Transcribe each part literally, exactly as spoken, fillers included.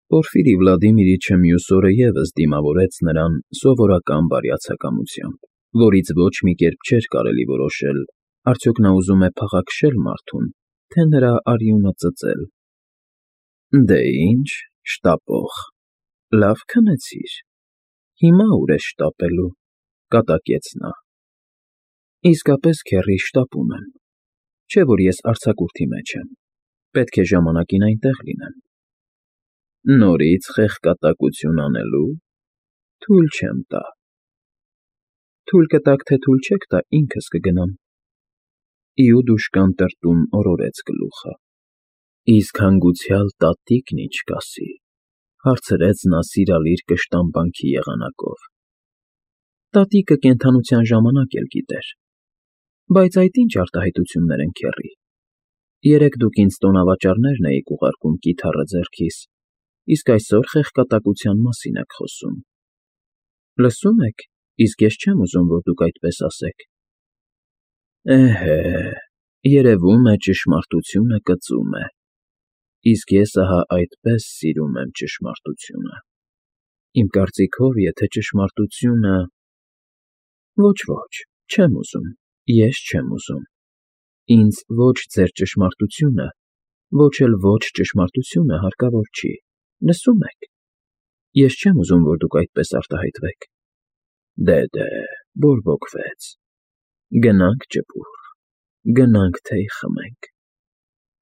Պորֆիրի Վլադիմիրիչը մյուս օրը ևս դիմավորեց նրան սովորական բարյացակամությամբ, որից ոչ մի կերպ չէր կարելի որոշել արդյոք նա ուզում է փաղաքշե՞լ մարդուն, թե նրա արյունը ծծել։ ֊ Դե ինչ, շտապող, լավ քնեցիր, հիմա ուր ես շտապելու,֊ կատակեց նա։ ֊ Իսկապես, քեռի, շտապում եմ, չէ՞ որ ես արձակուրդի մեջ եմ, պետք է ժամանակին այնտեղ լինեմ։ ֊ Նորից խեղկատակություն անելու՞… Թույլ չեմ տա։ ֊ Թույլ կտաք, թե թույլ չեք տա, ինքս կգնամ,֊ իուդուշկան տրտում օրորեց գլուխը։ ֊ Իսկ հանգուցյալ տատիկն ինչ կասի,֊ հարցրեց նա սիրալիր կշտամբանքի եղանակով։ ֊ Տատիկը կենդանության ժամանակ էլ գիտեր։ Բայց այդ ինչ արտահայտություններ են, քեռի. երեկ դուք ինձ տոնավաճառներն էիք ուղարկում կիթառը ձեռքիս, իսկ այսօր խեղկատակության մասին եք խոսում։ Լսո՞ւմ եք, իսկ ես չեմ ուզում, որ դուք այդպես ասեք։ ֊ Էհե, երևում է ճշմարտությունը կծում է, իսկ ես ահա այդպես սիրում եմ ճշմարտությունը… Իմ կարծիքով, եթե ճշմարտությունը… Ոչ, ոչ, չեմ ուզում, ես չեմ ուզում… Ինձ ոչ ձեր ճշմարտությունը, ոչ էլ ոչ ճշմարտությունը հարկավոր չի, լսո՞ւմ եք… Ես չեմ ուզում, որ դուք այդպես արտահայտվեք… Դե, դե, բորբոքվեց… Գնանք ջբուր, գնանք թեյ խմենք…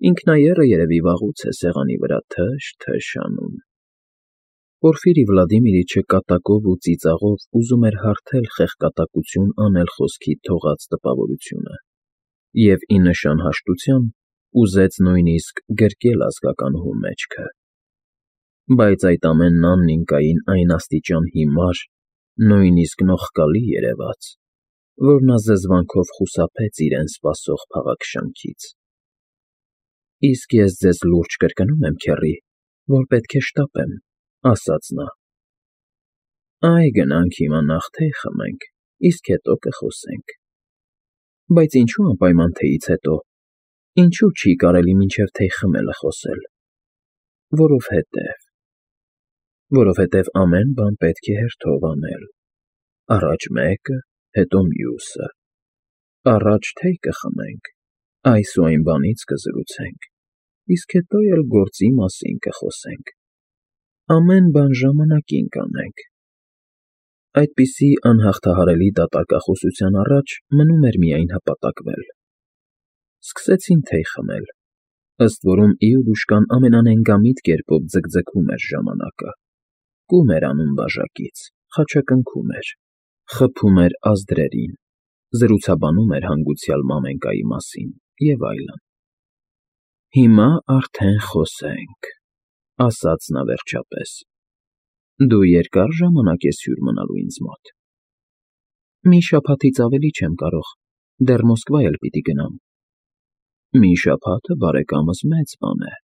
Ինքնայեռը երևի վաղուց է սեղանի վրա թշ֊թշ անում… Պորֆիրի Վլադիմիրիչը կատակով ու ծիծաղով ուզում էր հարթել խեղկատակություն անել խոսքից թողած տպավորությունը և, ի նշան հաշտության, ուզեց նույնիսկ գրկել ազգականուհու մեջքը… Բայց այդ ամենն Աննիկային այն աստիճան հիմար, նույնիսկ նողկալի երևաց, որ նա զզվանքով խուսափեց իրեն սպասող փաղաքշանքից։ ֊ Իսկ ես ձեզ լուրջ կրկնում եմ, քեռի, որ պետք է շտապեմ,֊ ասաց նա։ ֊ Այ գնանք հիմա նախ թեյ խմենք, իսկ հետո կխոսենք… Բայց ինչո՞ւ անպայման թեյից հետո, ինչո՞ւ չի կարելի մինչև թեյ խմելը խոսել։ ֊ Որովհետև… Որովհետև ամեն բան պետք է հերթով անել… Առաջ մեկը, հետո մյուսը… Առաջ թեյ կխմենք, այս ու այն բանից կզրուցենք, իսկ հետո էլ գործի մասին կխոսենք… Ամեն բան ժամանակին կանենք… Այդպիսի անհաղթահարելի դատարկախոսության առաջ մնում էր միայն հպատակվել… Սկսեցին թեյ խմել, ըստ որում իուդուշկան ամենանենգամիտ կերպով ձգձգում էր ժամանակը, կում էր անում բաժակից, խաչակնքում էր, խփում էր ազդրերին, զրուցաբանում էր հանգուցյալ մամենկայի մասին և այլն։ ֊ Հիմա արդեն խոսենք,֊ ասաց նա վերջապես։ ֊ Դու երկա՞ր ժամանակ ես հյուր մնալու ինձ մոտ։ ֊ Մի շաբաթից ավելի չեմ կարող, դեռ Մոսկվա էլ պիտի գնամ։ ֊ Մի շաբաթը, բարեկամս, մեծ բան է…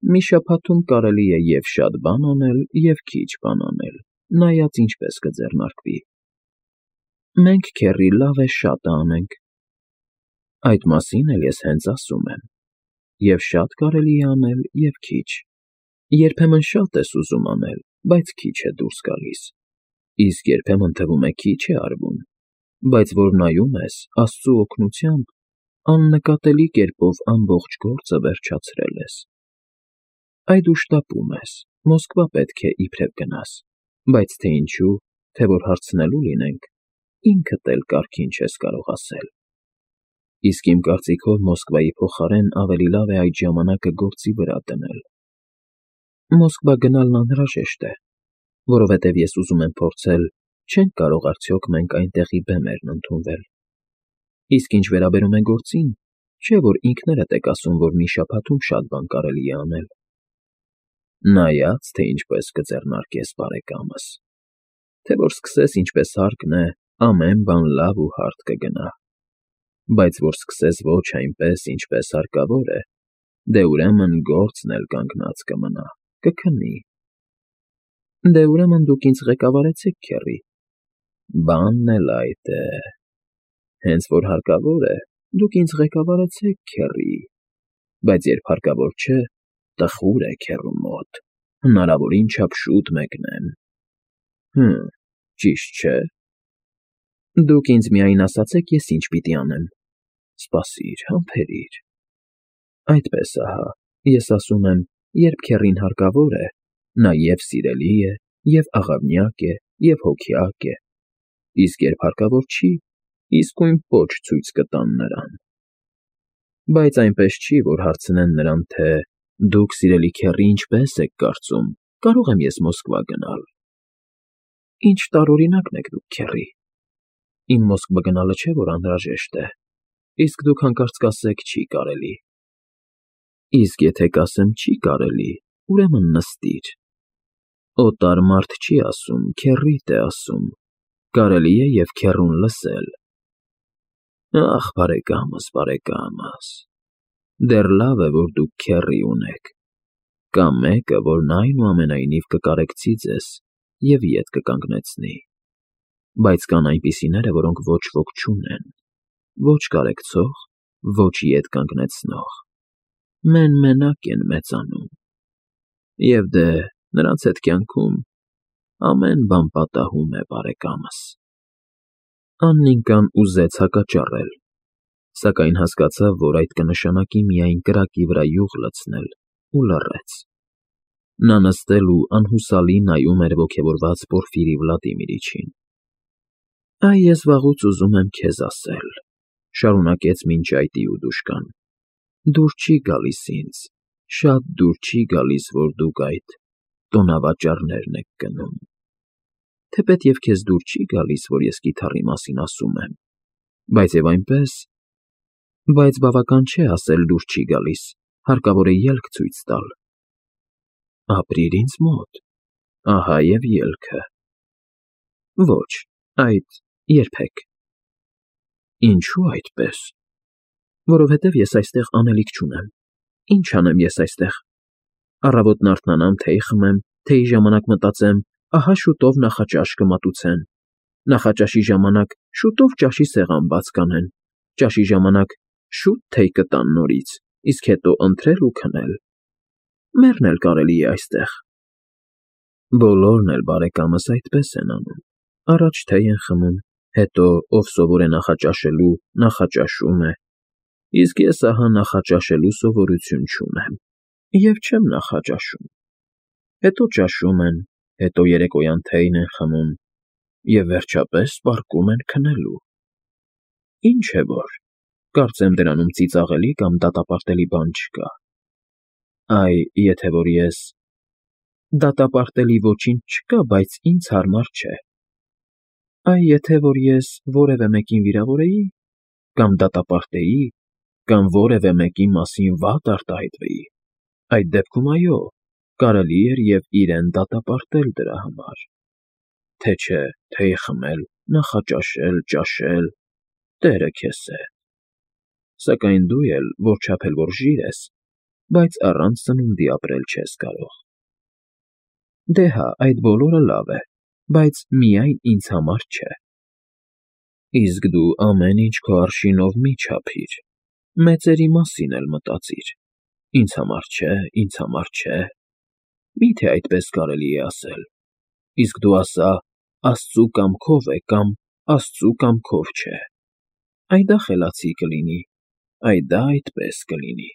Մի շաբաթում կարելի է և՛ շատ բան անել, և՛ քիչ բան անել, նայած ինչպես կձեռնարկվի։ ֊ Մենք, քեռի, լավ է շատը անենք։ ֊ Այդ մասին էլ ես հենց ասում եմ. և՛ շատ կարելի է անել, և՛ քիչ… Երբեմն շատ ես ուզում անել, բայց քիչ է դուրս գալիս, իսկ երբեմն թվում է քիչ է արվում, բայց որ նայում ես, Աստծու օգնությամբ, աննկատելի կերպով ամբողջ գործը վերջացրել ես… Այ դու շտապում ես, Մոսկվա պետք է իբրև գնաս, բայց թե ինչու, թե որ հարցնելու լինենք, ինքդ էլ կարգին չես կարող ասել… Իսկ իմ կարծիքով Մոսկվայի փոխարեն ավելի լավ է այդ ժամանակը գործի վրա դնել… Մոսկվա գնալն անհրաժեշտ է, որովհետև ես ուզում եմ փորձել, չենք կարող արդյոք մենք այնտեղի բեմերն ընդունվել… Իսկ ինչ վերաբերում է գործին, չէ՞ որ ինքներդ եք ասում, որ մի շաբաթում շատ բան կարելի է անել… Նայած, թե ինչպես կձեռնարկես, բարեկամս… Թե որ սկսես ինչպես հարկն է, ամեն բան լավ ու հարթ կգնա… Բայց որ սկսես ոչ այնպես, ինչպես հարկավոր է, դե ուրեմն գործն էլ կանգնած կմնա, կքնի… Դե ուրեմն դուք ինձ ղեկավարեցեք, քեռի… Բանն էլ այդ է… Հենց որ հարկավոր է, դուք ինձ ղեկավարեցեք, քեռի… Բայց երբ հարկավոր չէ, տխուր է քեռու մոտ, Հնարավորին չափ շուտ մեկնեմ։ Հմ, ճիշտ չէ։ Դուք ինձ միայն ասացեք, ես ինչ պիտի անեմ։ Սպասիր, համբերիր։ Այդպես ահա, ես ասում եմ, երբ քեռին հարկավոր է, նա և սիրելի է, և աղավնյակ է, և հոգյակ է, իսկ երբ հարկավոր չի, իսկույն պոչ ցույց կտան նրան։ Բայց այնպես չի, որ հարցնեն նրան, թե «Դուք, սիրելի քեռի, ինչպե՞ս եք կարծում, կարո՞ղ եմ ես Մոսկվա գնալ»։ Ինչ տարօրինակն եք դուք, քեռի։ Իմ Մոսկվա գնալը չէ, որ անհրաժեշտ է, իսկ դուք հանկարծ կասեք՝ չի կարելի։ Իսկ եթե կասեմ չի կարելի, ուրեմն նստիր։ Օտար մարդ չի ասում, քեռիդ է ասում, կարելի է և քեռուն լսել։ Ախ, բարեկամս, բարեկամս, դեռ լավ է, որ դուք քեռի ունեք, կա մեկը, որն այնուամենայնիվ կկարեկցի ձեզ և ետ կկանգնեցնի, բայց կան այնպիսիները, որոնք ոչ ոք չունեն, ոչ կարեկցող, ոչ ետ կանգնեցնող, մեն֊մենակ են մեծանում, և դե, նրանց հետ կյանքում ամեն բան պատահում է, բարեկամս։ Աննիկան ուզեց հակաճառել, սակայն հասկացավ, որ այդ կնշանակի միայն կրակի վրա յուղ լցնել ու լռեց։ Նա նստել ու անհուսալի նայում էր ոգևորված Պորֆիրի Վլադիմիրիչին։ Այ ես վաղուց ուզում եմ քեզ ասել, շարունակեց մինչ այդ իուդուշկան, դուր չի գալիս ինձ, շատ դուր չի գալիս, որ դուք այդ տոնավաճառներն եք գնում, թեպետ և քեզ դուր չի գալիս, որ ես կիթառի մասին ասում եմ, բայց և այնպես, բայց բավական չէ ասել դուր չի գալիս, հարկավոր է ելք ցույց տալ։ Ապրիր ինձ մոտ, ահա և ելքը։ Ոչ, այդ երբեք։ Ինչո՞ւ այդպես։ Որովհետև ես այստեղ անելիք չունեմ։ Ինչ անեմ ես այստեղ։ Առավոտն արթնանամ, թեյ խմեմ, թեյի ժամանակ մտածեմ, ահա շուտով նախաճաշ կմատուցեն, նախաճաշի ժամանակ շուտով ճաշի սեղան բաց կանեն, ճաշի ժամանակ շուտ թեյ կտան նորից, իսկ հետո ընթրել ու քնել։ Մեռնել կարելի է այստեղ։ Բոլորն էլ, բարեկամս, այդպես են անում, առաջ թեյ են խմում, հետո ով սովոր է նախաճաշելու, նախաճաշում է, իսկ ես ահա նախաճաշելու սովորություն չունեմ և չեմ նախաճաշում, հետո ճաշում են, հետո երեկոյան թեյն են խմում և վերջապես պառկում են քնելու։ Ինչ է որ, կարծեմ դրանում ծիծաղելի կամ դատապարտելի բան չկա։ Այ եթե որ ես… Դատապարտելի ոչինչ չկա, բայց ինձ հարմար չէ։ Այ եթե որ ես որևէ մեկին վիրավորեի, կամ դատապարտեի, կամ որևէ մեկի մասին վատ արտահայտվեի, այդ դեպքում, այո, կարելի էր և իրեն դատապարտել դրա համար, թե չէ թեյ խմել, նախաճաշել, ճաշել, տերը քեզ հետ։ Սակայն դու էլ, որչափ էլ որ ժիր ես, բայց առանց սնունդի ապրել չես կարող։ Դե հա, այդ բոլորը լավ է, բայց միայն ինձ համար չէ։ Իսկ դու ամեն ինչ քո արշինով մի չափիր, մեծերի մասին էլ մտածիր, ինձ համար չէ, ինձ համար չէ, մի՞թե այդպես կարելի է ասել, իսկ դու ասա՝ Աստծու կամքով է կամ Աստծու կամքով չէ, այ դա խելացի կլինի, այ դա այդպես կլինի։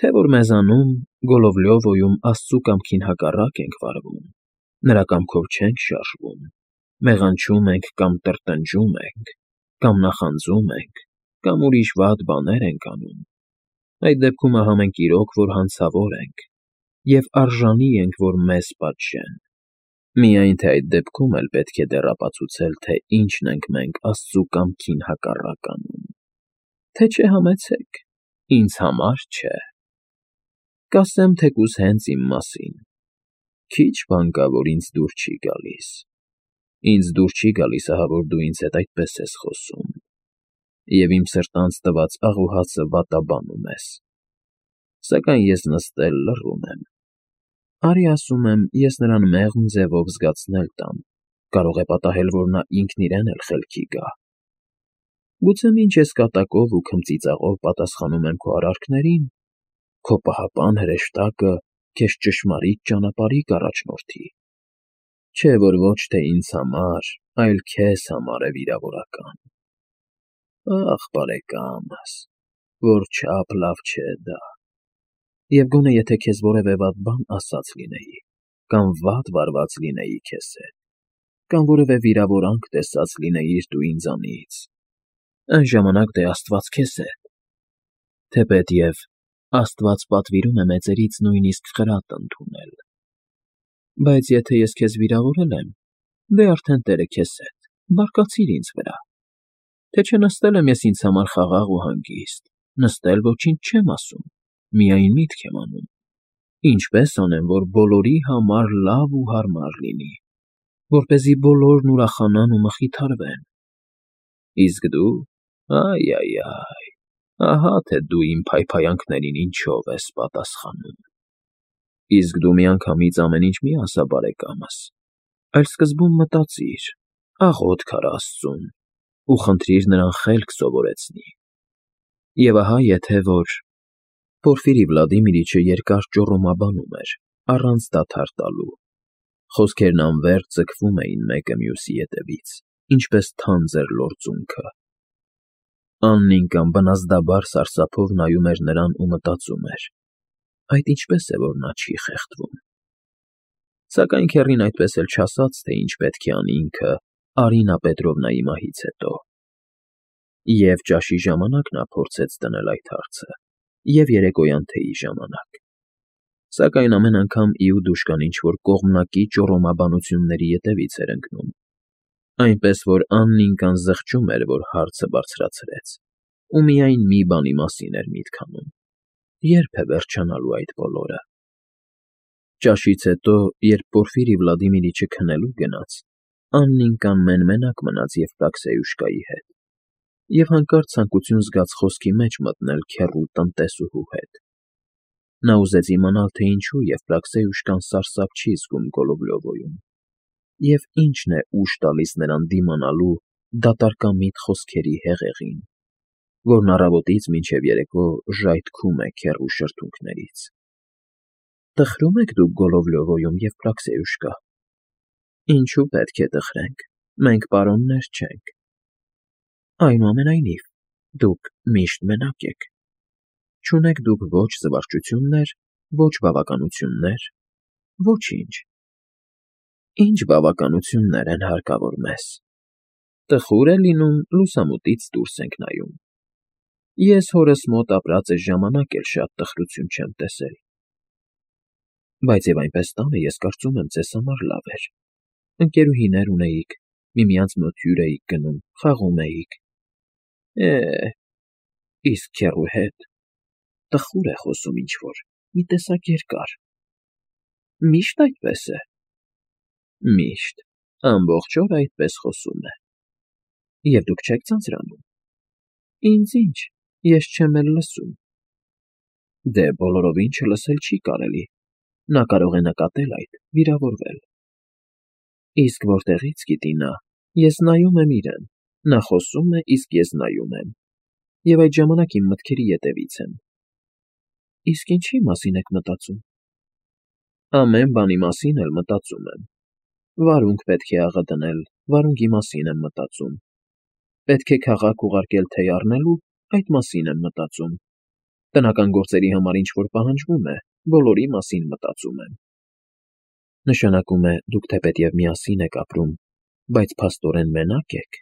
Թե որ մեզանում, Գոլովլյովոյում Աստծու կամքին հակառակ ենք վարվում, նրա կամքով չենք շարժվում, մեղանչում ենք կամ տրտնջում ենք, կամ նախանձում ենք, կամ ուրիշ վատ բաներ ենք անում, այդ դեպքում ահա մենք իրոք որ հանցավոր ենք և արժանի ենք, որ մեզ պատժեն։ Միայն թե այդ դեպքում էլ պետք է դեռ ապացուցել, թե ինչն ենք մենք Աստծու կամքին հակառակ անում, թե չէ համեցեք, ինձ համար չէ։ Կասեմ թեկուզ հենց իմ մասին. քիչ բան կա, որ ինձ դուր չի գալիս։ Ինձ դուր չի գալիս, ահա որ դու ինձ հետ այդպես ես խոսում, և իմ սրտանց տված աղուհացը վատաբանում ես։ Սակայն ես նստել լռում եմ։ Արի ասում եմ, ես նրան մեղմ ձևով զգացնել տամ, կարող է պատահել, որ նա ինքն իրեն էլ խելքի գա։ Գուցե մինչ ես կատակով ու քմծիծաղով պատասխանում եմ քո արարքներին, քո պահապան հրեշտակը քեզ ճշմարիտ ճանապարհի կառաջնորդի, չէ որ ոչ թե ինձ համար, այլ քեզ համար է վիրավորական։ Ախ, բարեկամս, որչափ լավ չէ դա։ Եվ գոնե եթե քեզ որևէ վատ բան ասած լինեի, կամ վատ վարված լինեի քեզ հետ, կամ որևէ վիրավորանք տեսած լինեիր դու ինձանից, այն ժամանակ դե Աստված քեզ հետ, թեպետև Աստված պատվիրում է մեծերից նույնիսկ խրատ ընդունել։ Բայց եթե ես քեզ վիրավորել եմ, դե արդեն Տերը քեզ հետ, բարկացիր ինձ վրա, թե չէ նստել եմ ես ինձ համար խաղաղ ու հանգիստ, նստել ոչինչ չեմ ասում, միայն միտք եմ անում, ինչպես անեմ, որ բոլորի համար լավ ու հարմար լինի, որպեսզի բոլորն ուրախանան ու մխիթարվեն։ Իսկ դու, այ֊այ֊այ, ահա թե դու իմ փայփայանքներին ինչով ես պատասխանում։ Իսկ դու միանգամից ամեն ինչ մի ասա բարեկամս, այլ սկզբում մտածիր, աղոթք արա Աստծուն ու խնդրիր նրան խելք սովորեցնի։ Եվ ահա եթե որ… Պորֆիրի Վլադիմիրիչը երկար ճոռոմաբանում էր, առանց դադար տալու, խոսքերն անվերջ ձգվում էին մեկը մյուսի ետևից, ինչպես թանձր լորձունքը։ Աննիկան բնազդաբար սարսափով նայում էր նրան ու մտածում էր. այդ ինչպես է, որ նա չի խեղդվում։ Սակայն քեռին այդպես էլ չասաց, թե ինչ պետք է անի ինքը Արինա Պետրովնայի մահից հետո։ Եվ ճաշի ժամանակ նա փորձեց դնել այդ հարցը, և երեկոյան թեյի ժամանակ։ Սակայն ամեն անգամ իուդուշկան ինչ-որ կողմնակի ճոռոմաբանությունների ետևից էր ընկնում, այնպես որ Աննիկան զղջում էր, որ հարցը բարձրացրեց, ու միայն մի բանի մասին էր միտք անում. ե՞րբ է վերջանալու այդ բոլորը։ Ճաշից հետո, երբ Պորֆիրի Վլադիմիրիչը քնելու գնաց, Աննիկան մեն֊մենակ մնաց Եվպրաքսիայուշկայի հետ, և հանկարծ ցանկություն զգաց խոսքի մեջ մտնել քեռու տնտեսուհու հետ։ Նա ուզեց իմանալ, թե ինչու Եվպրաքսիայուշկան սարսափ չի զգում Գոլովլյովոյում, և ինչն է ուժ տալիս նրան դիմանալու դատարկամիտ խոսքերի հեղեղին, որն առավոտից մինչև երեկո ժայթքում է քեռու շրթունքներից։ ֊ Տխրո՞ւմ եք դուք Գոլովլյովոյում, Եվպրաքսիայուշկա։ ֊ Ինչու պետք է տխրենք, մենք պարոններ չենք։ ֊ Այնուամենայնիվ, դուք միշտ մենակ եք, չունեք դուք ոչ զվարճություններ, ոչ բավականություններ, ոչինչ։ ֊ Ի՞նչ բավականություններ են հարկավոր մեզ։ Տխուր է լինում, լուսամուտից դուրս ենք նայում։ Ես հորս մոտ ապրած էս ժամանակ էլ շատ տխրություն չեմ տեսել։ Բայց և այնպես տանը ես կարծում եմ ձեզ համար լավ էր. ընկերուհիներ ունեիք, միմյանց մոտ հյուր էիք գնում, խաղում էիք։ Է՜, իսկ քեռու հետ… տխուր է խոսում ինչ֊որ, մի տեսակ երկար։ Միշտ այդպես է։ Միշտ, ամբողջ օրը այդպես խոսում է։ Եվ դուք չեք ձանձրանում։ Ինձ ինչ, ես չեմ էլ լսում։ Դե բոլորովին չլսել չի կարելի, նա կարող է նկատել այդ, վիրավորվել։ Իսկ որտեղի՞ց գիտի նա, ես նայում եմ իրեն, նա խոսում է, իսկ ես նայում եմ, և այդ ժամանակ իմ մտքերի ետևից եմ։ Իսկ ինչի՞ մասին եք մտածում։ Ամեն բանի մասին էլ մտածում եմ։ Վարունգ պետք է աղը դնել, վարունգի մասին եմ մտածում։ Պետք է քաղաք ուղարկել թեյ առնելու, այդ մասին եմ մտածում։ Տնական գործերի համար ինչ֊որ պահանջվում է, բոլորի մասին մտածում եմ։ Նշանակում է, դուք թեպետև միասին եք ապրում, բայց փաստորեն մենակ եք։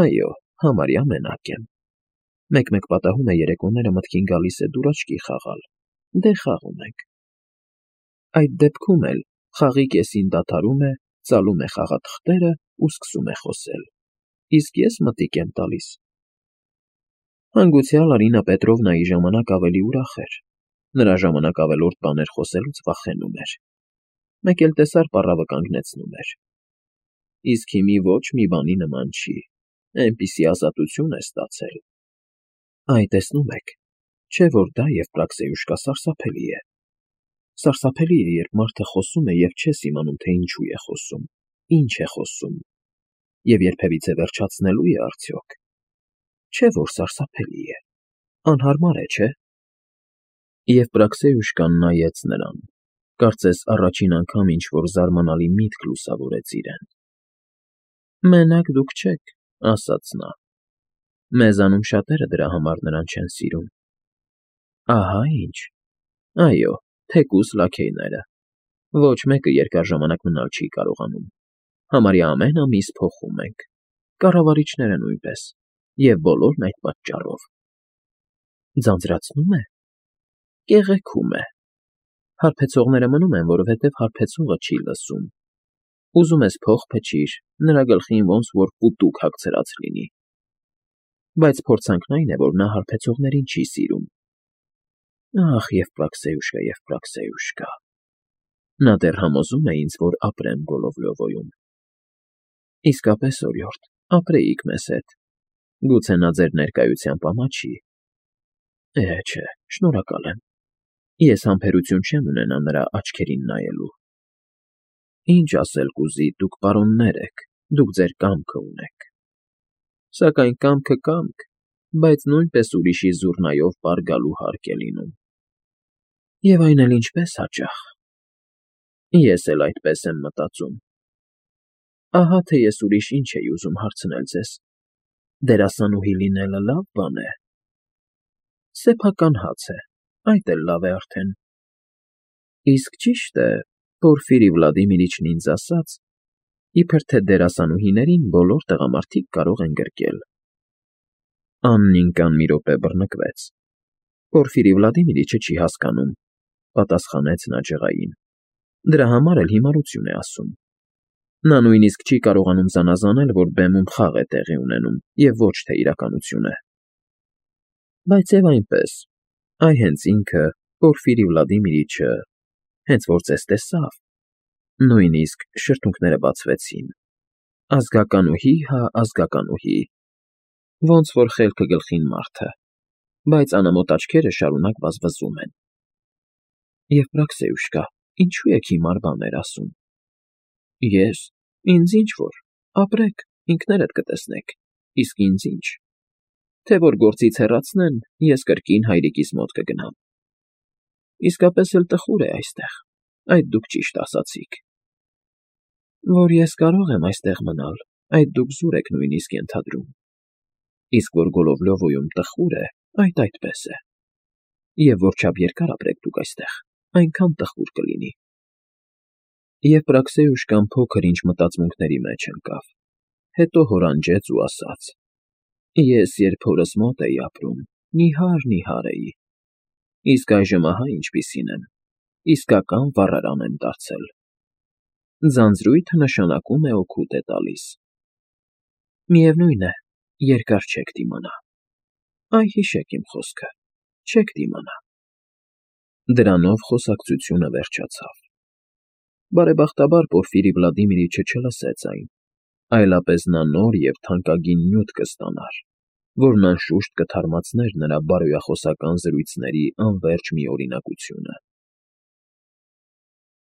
Այո, համարյա մենակ եմ։ Մեկ֊մեկ պատահում է երեկոները մտքին գալիս է դուրաչքի խաղալ, դե խաղում ենք։ Այդ դեպքում էլ խաղի կեսին դադարում է, ծալում է խաղաթղթերը ու սկսում է խոսել, իսկ ես մտիկ եմ տալիս։ Հանգուցյալ Արինա Պետրովնայի ժամանակ ավելի ուրախ էր, նրա ժամանակ ավելորդ բաներ խոսելուց վախենում էր, մեկ էլ տեսար պառավը կանգնեցնում էր։ Իսկ հիմի ոչ մի բանի նման չի, էնպիսի ազատություն է ստացել։ Այ տեսնում եք, չէ՞ որ դա Եվպրաքսիայուշկա սարսափելի է։ Սարսափելի է, երբ մարդը խոսում է և չես իմանում, թե ինչու է խոսում, ինչ է խոսում, և երբևիցե վերջացնելո՞ւ է արդյոք։ Չէ՞ որ սարսափելի է, անհարմար է, չէ՞։ Եվ Պրաքսեյուշկան նայեց նրան, կարծես առաջին անգամ ինչ֊որ զարմանալի միտք լուսավորեց իրեն։ ֊ Մենակ դուք չեք,֊ ասաց նա։ Մեզանում շատերը դրա համար նրան չեն սիրում։ ֊ Ահա ինչ… Այո, թեկուզ լաքեյները… Ոչ մեկը երկար ժամանակ մնալ չի կարողանում, համարյա ամեն ամիս փոխում ենք, կառավարիչները նույնպես, և բոլորն այդ պատճառով։ ֊ Ձանձրացնո՞ւմ է։ ֊ Կեղեքում է… Հարբեցողները մնում են, որովհետև հարբեցողը չի լսում։ Ուզում ես փող փչիր, նրա գլխին ոնց որ պուտուկ հագցրած լինի։ Բայց փորձանքն այն է, որ նա հարբեցողներին չի սիրում։ Ախ, Եվպրաքսեյուշկա, Եվպրաքսեյուշկա… Նա դեռ համոզում է ինձ, որ ապրեմ Գոլովլյովոյում։ Իսկապես, օրիորդ, ապրեիք մեզ հետ, գուցե նա ձեր ներկայությամբ ամաչի… Է, չէ, շնորհակալ եմ, ես համբերություն չեմ ունենա նրա աչքերին նայելու։ Ինչ ասել կուզի, դուք պարոններ եք, դուք ձեր կամքը ունեք։ Սակայն կամքը կամք, բայց նույնպես ուրիշի զուռնայով պար գալու հարկ է լինում։ Եվ այն էլ ինչպես հաճախ… Ես էլ այդպես եմ մտածում։ Ահա թե ես ուրիշ ինչ էի ուզում հարցնել ձեզ. դերասանուհի լինելը լավ բան է… Սեփական հաց է, այդ էլ լավ է արդեն… Իսկ ճիշտ է, Պորֆիրի Վլադիմիրիչն ինձ ասաց, իբր թե դերասանուհիներին բոլոր տղամարդիկ կարող են գրկել… Աննին կան մի րոպե բռնկվեց։ Պորֆիրի Վլադիմիրիչը չի հասկանում, պատասխանեց նա ջղային, դրա համար էլ հիմարություն է ասում։ Նա նույնիսկ չի կարողանում զանազանել, որ բեմում խաղ է տեղի ունենում, և ոչ թե իրականություն է։ Բայց և այնպես, այ հենց ինքը, Պորֆիրի Վլադիմիրիչը, հենց որ ձեզ տեսավ, նույնիսկ շրթունքները բացվեցին. ազգականուհի հա ազգականուհի, ոնց որ խելքը գլխին մարդը, բայց անամոթ աչքերը շարունակ վազվզում են։ Եվպրաքսեյուշկա, ինչո՞ւ եք հիմար բաներ ասում։ Ես… ինձ ինչ֊որ, ապրեք, ինքներդ կտեսնեք, իսկ ինձ ինչ… Թե որ գործից հեռացնեն, ես կրկին հայրիկիս մոտ կգնամ։ Իսկապես էլ տխուր է այստեղ, այդ դուք ճիշտ ասացիք։ Որ ես կարող եմ այստեղ մնալ, այդ դուք զուր եք նույնիսկ ենթադրում։ Իսկ որ Գոլովլյովոյում տխուր է, այդ այդպես է։ Եվ որչափ երկար ապրեք դուք այստեղ, այնքան տխուր կլինի։ Եվ Պրաքսեյուշկան փոքր-ինչ մտածմունքների մեջ ընկավ, հետո հորանջեց ու ասաց. Ես երբ հորս մոտ էի ապրում, նիհար֊նիհար էի, իսկ այժմ ահա ինչպիսին եմ, իսկական վառարան եմ դարձել։ Ձանձրույթը նշանակում է օգուտ է տալիս։ Միևնույն է, երկար չեք դիմանա։ Այ հիշեք իմ խոսքը, չեք դիմանա։ Դրանով խոսակցությունը վերջացավ։ Բարեբախտաբար Պորֆիրի Վլադիմիրիչը չլսեց այն, այլապես նա նոր և թանկագին նյութ կստանար, որն անշուշտ կթարմացներ նրա բարոյախոսական զրույցների անվերջ միօրինակությունը։